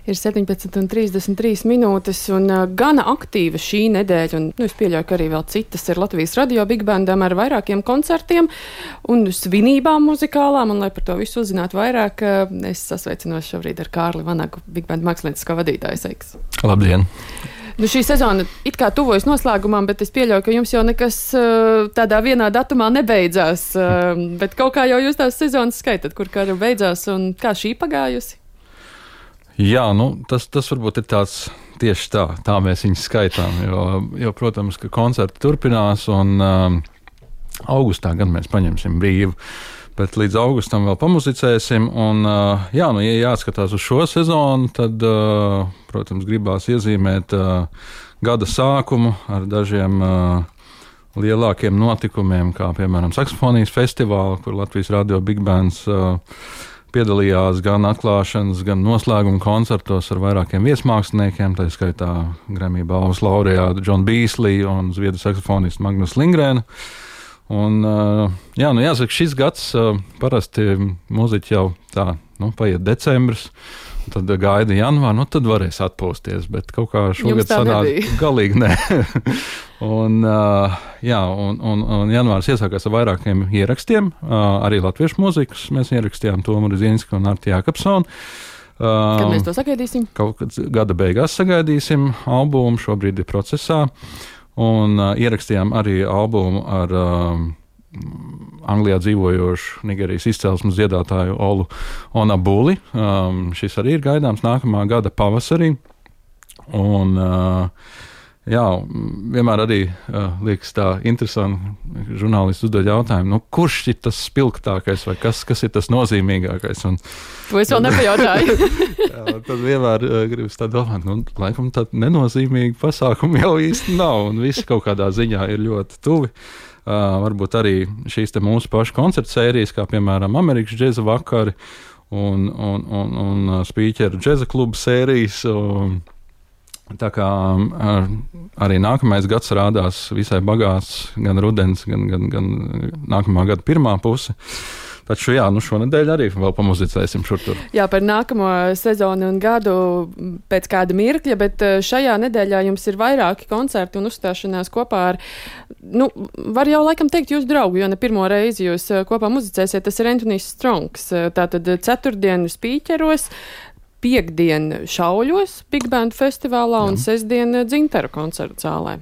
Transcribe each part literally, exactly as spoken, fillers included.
Ir septiņpadsmit un trīsdesmit trīs minūtes, un uh, gana aktīva šī nedēļa, un nu, es pieļauju, ka arī vēl citas ir Latvijas radio Big Bandam ar vairākiem koncertiem un svinībām muzikālām, un lai par to visu uzzinātu vairāk, uh, es sasveicinos šobrīd ar Kārli Vanagu, Big Band mākslinieckā vadītāju. Sveiks! Labdien! Nu, šī sezona it kā tuvojas noslēgumam, bet es pieļauju, ka jums jau nekas uh, tādā vienā datumā nebeidzās, uh, bet kaut kā jau jūs tās sezonas skaitat, kur kara beidzās, un kā šī pagājusi? Jā, nu, tas, tas varbūt ir tāds tieši tā, tā mēs viņus skaitām, jo, jo, protams, ka koncerti turpinās, un um, augustā gan mēs paņemsim brīvu, bet līdz augustam vēl pamuzicēsim, un, uh, jā, nu, ja jāatskatās uz šo sezonu, tad, uh, protams, gribās iezīmēt uh, gada sākumu ar dažiem uh, lielākiem notikumiem, kā, piemēram, saksofonijas festivāli, kur Latvijas radio Big Bands uh, piedalījās gan atklāšanas, gan noslēguma koncertos ar vairākiem viesmāksliniekiem, tā skaitā Grammy balvas laureātu John Beasley un zviedru saksofonistu Magnus Lindgrēnu. Un, jā, nu jāsaka, šis gads parasti muziķi jau tā, nu, paiet decembris, tad gaida janvāru, nu tad varēs atpūsties, bet kaut kā šogad sanāk galīgi nē. un, jā, un, un, un janvārs iesākās ar vairākiem ierakstiem, arī latviešu mūzikas mēs ierakstījām Tomu Rudzīnsku un Arti Jākapsonu. Kad mēs to sagaidīsim? Kaut kad gada beigās sagaidīsim albumu, šobrīd ir procesā, un ierakstījām arī albumu ar Anglijā dzīvojošu Nigērijas izcelsmes dziedātāju Olu Onabuli. Um, šis arī ir gaidāms nākamā gada pavasarī. Un, uh, jā, vienmēr arī uh, liekas tā interesanti, žurnālisti uzdod jautājumu, nu, kurš ir tas spilgtākais vai kas, kas ir tas nozīmīgākais? Un, to es vēl nepajautāju. jā, tad vienmēr uh, gribas tā domāt, nu, laikam tāda nenozīmīga pasākuma jau īsti nav, un visi kaut kādā ziņā ir ļoti tuvi. Uh, varbūt arī šīs te mūsu pašu koncertu sērijas, kā piemēram Amerikas džeza vakari un, un, un, un spīķeru džeza klubu sērijas. Un, tā kā uh, arī nākamais gads rādās visai bagāts, gan rudens, gan, gan, gan nākamā gada pirmā puse. Taču jā, nu šonedēļ arī vēl pamuzicēsim šur tur. Jā, par nākamo sezonu un gadu pēc kāda mirkļa, bet šajā nedēļā jums ir vairāki koncerti un uzstāšanās kopā ar, nu, var jau laikam teikt jūsu draugu, jo ne pirmo reizi jūs kopā muzicēsiet, tas ir Anthonijs Strongs. Tātad ceturtdienu spīķeros, piekdien Šauļos Big Band festivālā un sestdien Dzintaru koncertu zālē.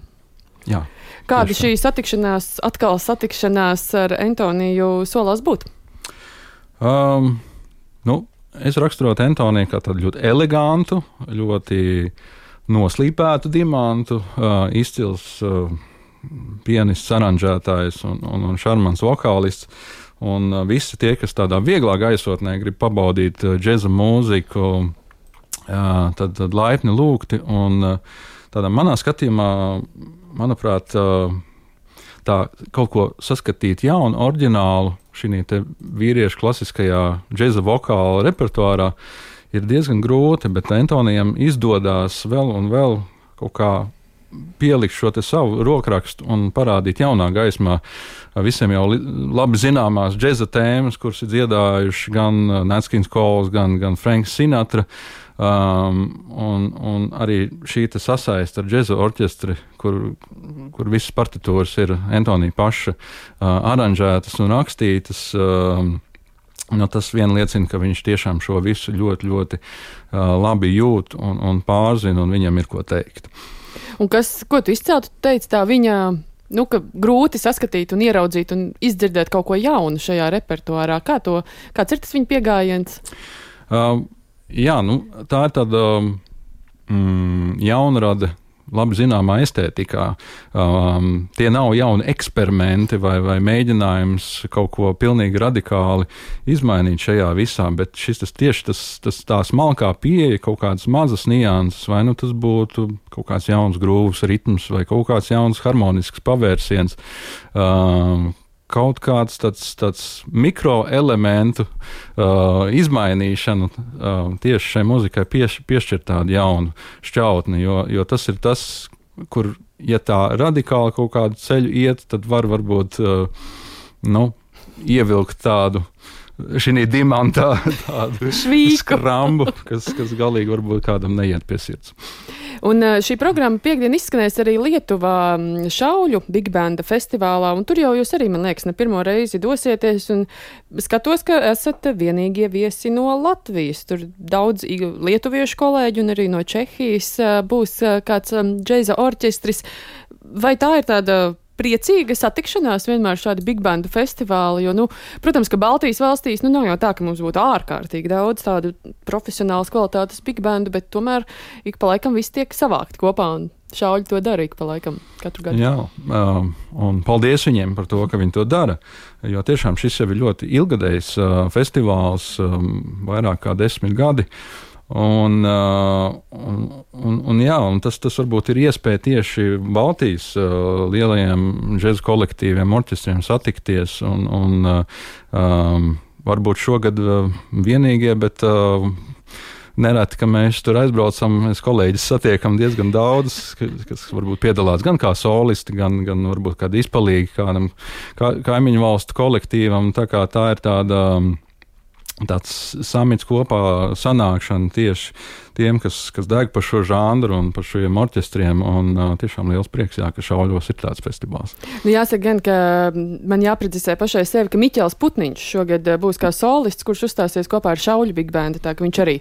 Jā. Kāda šī satikšanās, atkal satikšanās ar Antoniju solās būt? Um, nu, es raksturotu Antoniju kā tādu ļoti elegantu, ļoti noslīpētu dimantu, uh, izcils uh, pianists, aranžētājs un, un, un šarmants vokālists. Un uh, visi tie, kas tādā vieglā gaisotnē grib pabaudīt uh, džeza mūziku, uh, tad, tad laipni lūgti. Un uh, tādā manā skatījumā, manuprāt, uh, tā kaut ko saskatīt jaunu, oriģinālu šī te vīriešu klasiskajā džeza vokāla repertuārā ir diezgan grūti, bet Antonijam izdodās vēl un vēl kaut kā pielikt šo te savu rokrakstu un parādīt jaunā gaismā visiem jau labi zināmās džeza tēmas, kuras ir dziedājuši gan Nats King Coles, gan, gan Franks Sinatra. Um, un, un arī šī sasaiste ar džeza orķestri, kur, kur visas partitūras ir Antonija paša uh, aranžētas un rakstītas, um, nu, tas vien liecina, ka viņš tiešām šo visu ļoti, ļoti uh, labi jūt un, un pārzina, un viņam ir ko teikt. Un kas, ko tu izceltu, teici tā viņa, nu, ka grūti saskatīt un ieraudzīt un izdzirdēt kaut ko jaunu šajā repertuārā. Kā to, kāds ir tas viņa piegājiens? Uh, Jā, nu, tā ir tāda mm, jaunrada, labi zināmā estētikā. Um, tie nav jauni eksperimenti vai, vai mēģinājums kaut ko pilnīgi radikāli izmainīt šajā visā, bet šis tas tieši tas, tas tā smalkā pieeja, kaut kādas mazas nianses, vai nu tas būtu kaut kāds jauns grūvs ritms vai kaut kāds jauns harmonisks pavērsiens. Um, Kaut kāds tāds, tāds mikroelementu uh, izmainīšana uh, tieši šai muzikai pieš, piešķir tādu jaunu šķautni, jo, jo tas ir tas, kur, ja tā radikāli kaut kādu ceļu iet, tad var varbūt uh, nu, ievilkt tādu šī dimantā tādu skrambu, kas, kas galīgi varbūt kādam neiet pie sirds. Un šī programma piekdien izskanēs arī Lietuvā Šauļu Big Banda festivālā, un tur jau jūs arī, man liekas, ne pirmo reizi dosieties, un skatos, ka esat vienīgie viesi no Latvijas. Tur daudz lietuviešu kolēģi un arī no Čehijas būs kāds džēza orķestris. Vai tā ir tāda priecīga satikšanās vienmēr šādi big bandu festivāli, jo, nu, protams, ka Baltijas valstīs, nu, nav jau tā, ka mums būtu ārkārtīgi daudz tādu profesionālas kvalitātes big bandu, bet tomēr ik pa laikam viss tiek savākt kopā, un Šauļi to dara ik pa laikam katru gadu. Jā, um, un paldies viņiem par to, ka viņi to dara, jo tiešām šis jau ir ļoti ilgadējs uh, festivāls, um, vairāk kā desmit gadi. Un, uh, un, un, un, jā, un tas, tas varbūt ir iespēja tieši Baltijas uh, lielajiem džēza kolektīviem, orķestriem satikties. Un, un, uh, um, varbūt šogad uh, vienīgie, bet uh, nereti, ka mēs tur aizbraucam, mēs kolēģis satiekam diezgan daudz, kas, kas varbūt piedalās gan kā solisti, gan, gan varbūt kādi izpalīgi kādam kā, kaimiņu valstu kolektīvam. Tā kā tā ir tāda. Um, tāds samits kopā sanākšana tieši tiem, kas, kas deg par šo žanru un par šiem orķestriem, un uh, tiešām liels prieks, jā, ka Šauļos ir tāds festivāls. Nu, jāsaka gan, ka man jāprecizē pašai sevi, ka Miķels Putniņš šogad būs kā solists, kurš uzstāsies kopā ar Šauļu Big Bandu, tā ka viņš arī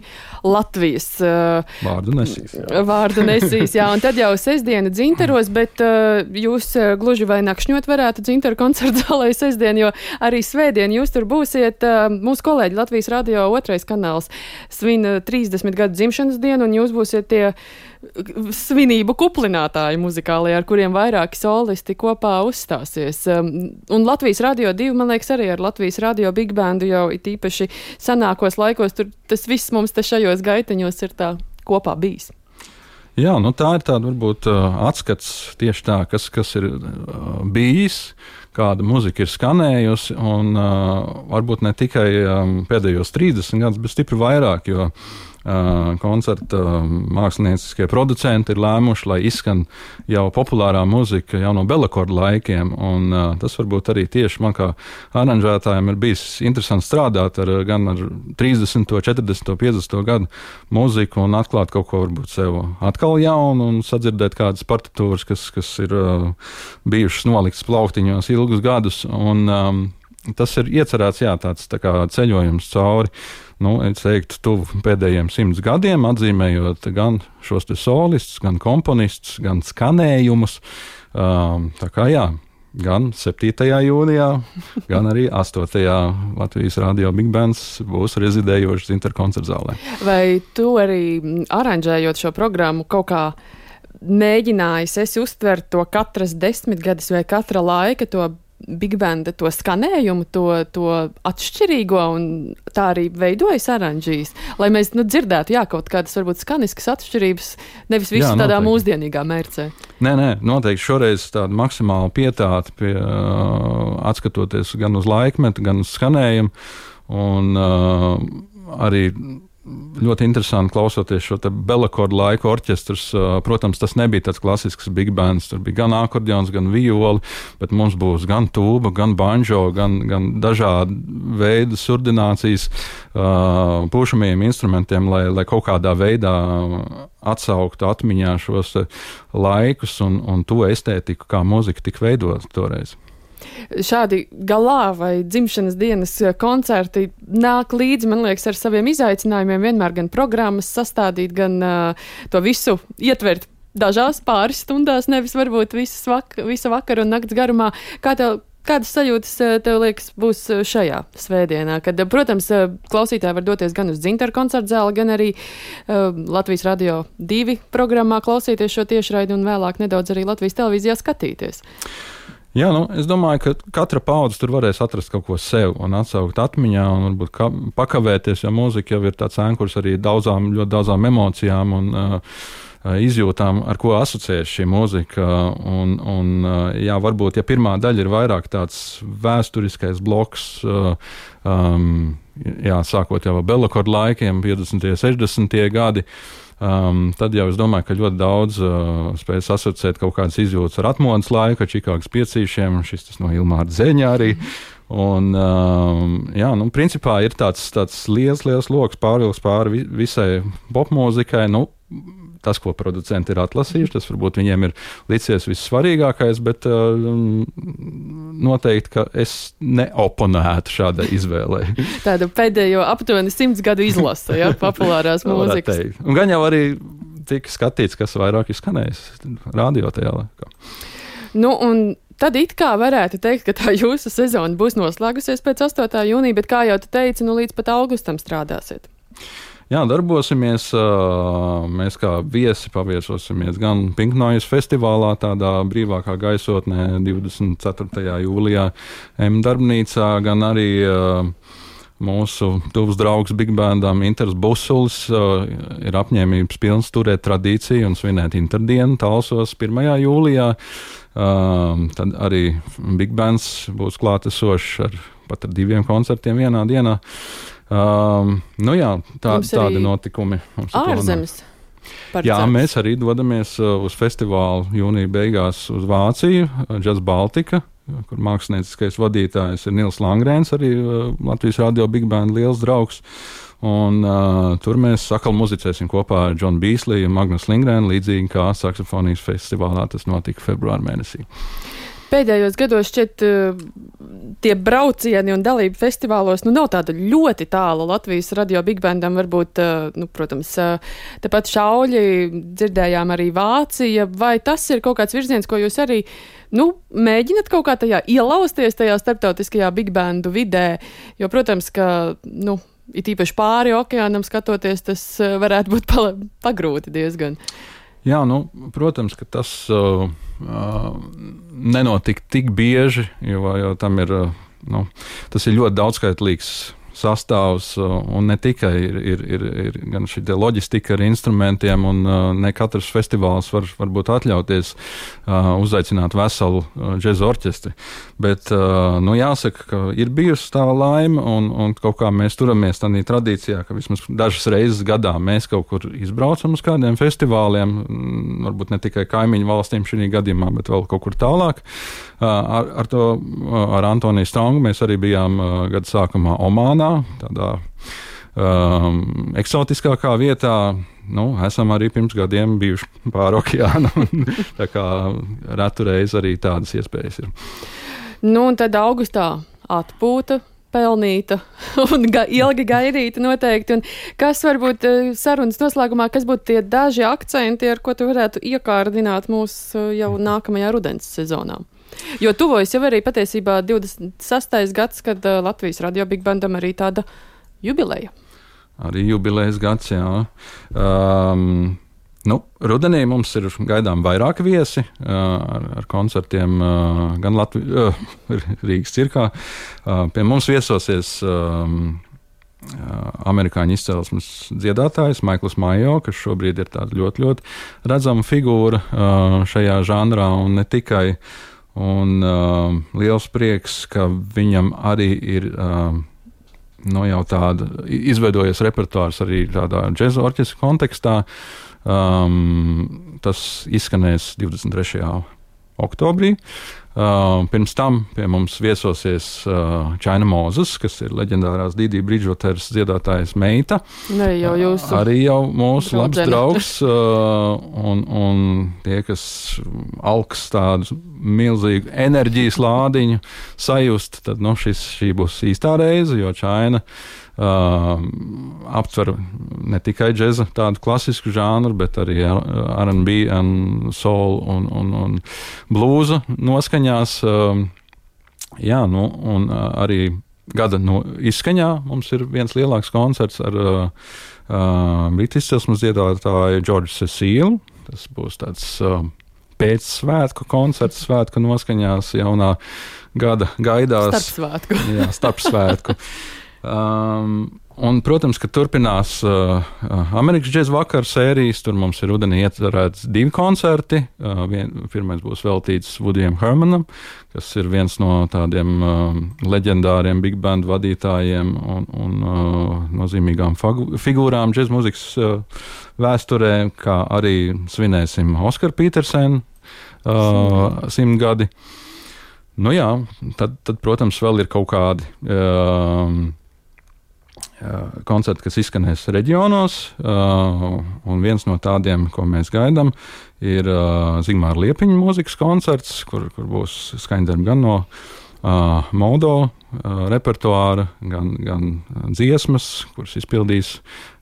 Latvijas uh, vārdu nesīs. Jā. Vārdu nesīs, jā, un tad jau sestdiena Dzintaros, bet uh, jūs uh, gluži vai nakšņot varētu Dzintaru koncertu zālē sestdien, jo arī svētdien jūs tur būsiet. Uh, mūsu kolēģi Latvijas radio otrais kanāls svin uh, trīsdesmit gadu dzimšanas dienu, un jūs būsiet tie svinību kuplinātāji muzikālie, ar kuriem vairāki solisti kopā uzstāsies. Um, un Latvijas radio divi, man liekas, arī ar Latvijas radio Big Bandu jau it īpaši sanākos laikos, tur tas viss mums te šajos gaiteņos ir tā kopā bijis. Jā, nu tā ir tāda varbūt atskats tieši tā, kas, kas ir bijis, kāda muzika ir skanējusi, un uh, varbūt ne tikai um, pēdējos trīsdesmit gadus, bet stipri vairāk, jo Uh, koncerta uh, mākslinieckie producenti ir lēmuši, lai izskan jau populārā muzika jau no Belakorda laikiem, un uh, tas varbūt arī tieši man kā aranžētājiem ir bijis interesanti strādāt ar, gan ar trīsdesmito, četrdesmito, piecdesmito gadu mūziku un atklāt kaut ko varbūt sev atkal jaunu un sadzirdēt kādas partitūras, kas, kas ir uh, bijušas noliktas plauktiņos ilgus gadus, un um, tas ir iecerēts, jā, tāds tā kā ceļojums cauri, nu, es teiktu, tuvu pēdējiem simts gadiem, atzīmējot gan šos te solistus, gan komponistus, gan skanējumus. Um, tā kā jā, gan septītajā jūnijā, gan arī astotajā Latvijas radio Big Bands būs rezidējošas Dzintaru koncertzālē. Vai tu arī aranžējot šo programmu kaut kā mēģinājis esi uztvert to katras desmitgades vai katra laika to Big Banda, to skanējumu, to, to atšķirīgo, un tā arī veidojas aranžīs, lai mēs nu, dzirdētu, jā, kaut kādas varbūt skaniskas atšķirības, nevis visu jā, tādā mūsdienīgā mērcē. Nē, nē, noteikti šoreiz tāda maksimāla pietāta pie, uh, atskatoties gan uz laikmetu, gan uz skanējumu, un uh, arī ļoti interesanti klausoties šo te Belakorda laika orķestrus. Protams, tas nebija tāds klasisks big bands, tur bija gan akordeons, gan violi, bet mums būs gan tūba, gan banjo, gan, gan dažādi veidi surdinācijas uh, pušamajiem instrumentiem, lai, lai kaut kādā veidā atsauktu atmiņā šos laikus un, un to estētiku, kā mūzika tika veidota toreiz. Šādi galā vai dzimšanas dienas koncerti nāk līdzi, man liekas, ar saviem izaicinājumiem vienmēr gan programmas sastādīt, gan uh, to visu ietvert dažās pāris stundās, nevis varbūt visas vak- visa vakara un nakts garumā. Kā tev, kādas sajūtas tev liekas būs šajā svētdienā? Kad, protams, klausītāji var doties gan uz Dzintaru koncertzāli, gan arī uh, Latvijas radio divi programmā klausīties šo tiešraidi un vēlāk nedaudz arī Latvijas televīzijā skatīties. Jā, nu, es domāju, ka katra paudze tur varēs atrast kaut ko sev un atsaukt atmiņā un varbūt ka, pakavēties, jo mūzika jau ir tāds ēnkurs arī daudzām, ļoti daudzām emocijām un uh, izjūtām, ar ko asociēs šī mūzika. Un, un, jā, varbūt, ja pirmā daļa ir vairāk tāds vēsturiskais bloks, uh, um, jā, sākot jau ar Belakorda laikiem, piecdesmitie, sešdesmitie gadi, Um, tad jau es domāju, ka ļoti daudz uh, spējas asociēt kaut kādas izjūtas ar atmodas laiku, ar Čikāgas piecīšiem, šis tas no Ilmāra Zeņa arī. Un, um, jā, nu, principā ir tāds, tāds liels, liels loks pārvilks pāri visai popmūzikai. Nu, tas, ko producenti ir atlasījuši, tas varbūt viņiem ir licies vissvarīgākais, bet uh, noteikti, ka es neoponētu šādai izvēlei. Tāda pēdējo aptuveni simts gadu izlase, ja, populārās mūzikas. Un gan jau arī tika skatīts, kas vairāk ir skanējis radio tajā laikā. Nu, un tad it kā varētu teikt, ka tā jūsu sezona būs noslēgusies pēc astotā jūnija, bet kā jau tu teici, nu līdz pat augustam strādāsiet. Jā, darbosimies. Mēs kā viesi paviesosimies gan Pink Noise festivālā, tādā brīvākā gaisotnē divdesmit ceturtajā jūlijā M darbnīcā, gan arī mūsu tuvs draugs Big Bandam Inters Busulis ir apņēmības pilns turēt tradīciju un svinēt Interdienu Talsos pirmajā jūlijā. Tad arī Big Bands būs klātesošs ar pat ar diviem koncertiem vienā dienā. Um, nu jā, tā, tādi notikumi mums ir ārzemes. Jā, mēs arī dodamies uh, uz festivālu jūnija beigās uz Vāciju, Jazz Baltica, kur mākslinieckais vadītājs ir Nils Langrēns, arī uh, Latvijas radio Big Band liels draugs. Un uh, tur mēs sakal muzicēsim kopā ar John Beasley un Magnus Lindgrēnu, līdzīgi kā saksofonijas festivālā tas notika februāra mēnesī. Pēdējos gados šķiet tie braucieni un dalība festivālos nu, nav tāda ļoti tāla Latvijas radio Big Bandam. Varbūt, nu, protams, tepat Šauļi, dzirdējām arī Vācija. Vai tas ir kaut kāds virziens, ko jūs arī nu, mēģināt kaut kā tajā ielausties tajā starptautiskajā Big Bandu vidē? Jo, protams, ka, nu, it īpaši pāri okeānam skatoties, tas varētu būt pagrūti diezgan. Jā, nu, protams, ka tas uh, uh, nenotika tik bieži, jo, jo tam ir, uh, nu, tas ir ļoti daudzskaitlīgs sastāvs, uh, un ne tikai ir, ir, ir, ir gan šī loģistika ar instrumentiem, un uh, ne katrs festivāls var varbūt atļauties uh, uzaicināt veselu uh, džeza orķestri. Bet, uh, nu, jāsaka, ka ir bijusi tā laime, un, un kaut kā mēs turamies tādā tradīcijā, ka vismaz dažas reizes gadā mēs kaut kur izbraucam uz kādiem festivāliem, m, varbūt ne tikai kaimiņu valstīm šī gadījumā, bet vēl kaut kur tālāk. Uh, ar, ar to, uh, ar Antoniju Strongu mēs arī bijām uh, gada sākumā Omānā, tādā um, eksotiskākā vietā. Nu, esam arī pirms gadiem bijuši pāri okeānam, tā kā retu reizi arī tādas iespējas ir. Nu, un tad augustā atpūta, pelnīta un ga ilgi gaidīta noteikti. Un kas varbūt sarunas noslēgumā, kas būtu tie daži akcenti, ar ko tu varētu iekārdināt mūs jau nākamajā rudens sezonā? Jo tuvojas jau arī patiesībā divdesmit sastais gads, kad uh, Latvijas radio Big Bandam arī tāda jubileja. Arī jubilejas gads, jā. Um, nu, rudenī mums ir gaidām vairāk viesi uh, ar, ar koncertiem uh, gan Latvijas, uh, Rīgas cirkā. Uh, pie mums viesosies um, amerikāņu izcelsmes dziedātājs Maikls Majo, kas šobrīd ir tāda ļoti, ļoti redzama figūra uh, šajā žanrā, un ne tikai. Un uh, liels prieks, ka viņam arī ir uh, no jau tāda izveidojies repertuārs arī tādā džeza orķestra kontekstā. Um, tas izskanēs divdesmit trešajā oktobrī. Uh, pirms tam pie mums viesosies uh, China Moses, kas ir leģendārās Didi Bridgewateras dziedātājas meita. Arī jau jūsu. Arī jau mūsu draudzene. labs draugs. Uh, un, un tie, kas alks tādu milzīgu enerģijas lādiņu sajust, tad nu, šis, šī būs īstā reize, jo China Uh, aptver ne tikai džeza, tādu klasisku žānru, bet arī R and B un soul un, un, un blūza noskaņās. Uh, jā, nu, un uh, arī gada no izskaņā mums ir viens lielāks koncerts ar uh, uh, britu izcelsmes dziedātāju George Cecile. Tas būs tāds uh, pēcsvētku koncerts, svētku noskaņās jaunā gada gaidās. Starpsvētku. Jā, starpsvētku. Um, un, protams, ka turpinās uh, Amerikas džeza vakara sērijas. Tur mums ir rudenī iecerēts divi koncerti. Uh, vien, pirmais būs veltīts Woodijam Hermanam, kas ir viens no tādiem uh, leģendāriem big band vadītājiem un, un uh, nozīmīgām figūrām džeza muzikas uh, vēsturē, kā arī svinēsim Oskaru Petersenu uh, simtgadi. Nu jā, tad, tad, protams, vēl ir kaut kādi um, koncerti, kas izskanēs reģionos, un viens no tādiem, ko mēs gaidām, ir Zigmāra Liepiņa mūzikas koncerts, kur, kur būs skaņdarbi gan no Modo repertuāra, gan, gan dziesmas, kuras izpildīs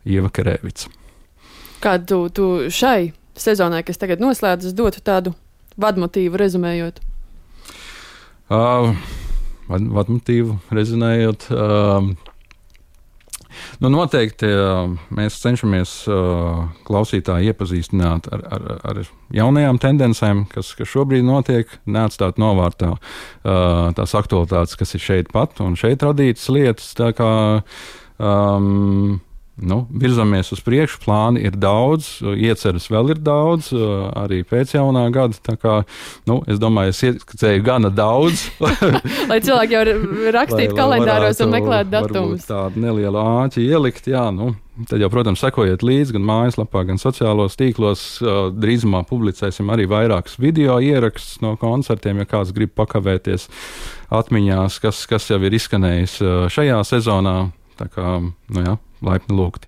Ieva Kerēvica. Kādu tu, tu šai sezonai, kas tagad noslēdzas, dotu tādu vadmotīvu rezumējot? Uh, vad, vadmotīvu rezumējot... Uh, Nu, noteikti mēs cenšamies uh, klausītāju iepazīstināt ar, ar, ar jaunajām tendencēm, kas, kas šobrīd notiek, neatstāt novārtā uh, tās aktualitātes, kas ir šeit pat un šeit radītas lietas. Tā kā um, nu, virzamies uz priekšu, plāni ir daudz, ieceras vēl ir daudz, uh, arī pēc jaunā gada. Tā kā, nu, es domāju, es ieskicēju gana daudz. Lai cilvēki jau rakstītu kalendāros un meklētu datumus. Tādu nelielu āķi ielikt, jā, nu, tad jau, protams, sekojiet līdzi gan mājaslapā, gan sociālos tīklos. Drīzumā publicēsim arī vairākus video ierakstus no koncertiem, ja kāds grib pakavēties atmiņās, kas, kas jau ir izskanējis šajā sezonā. Tā kā, nu jā, laipni lūgti.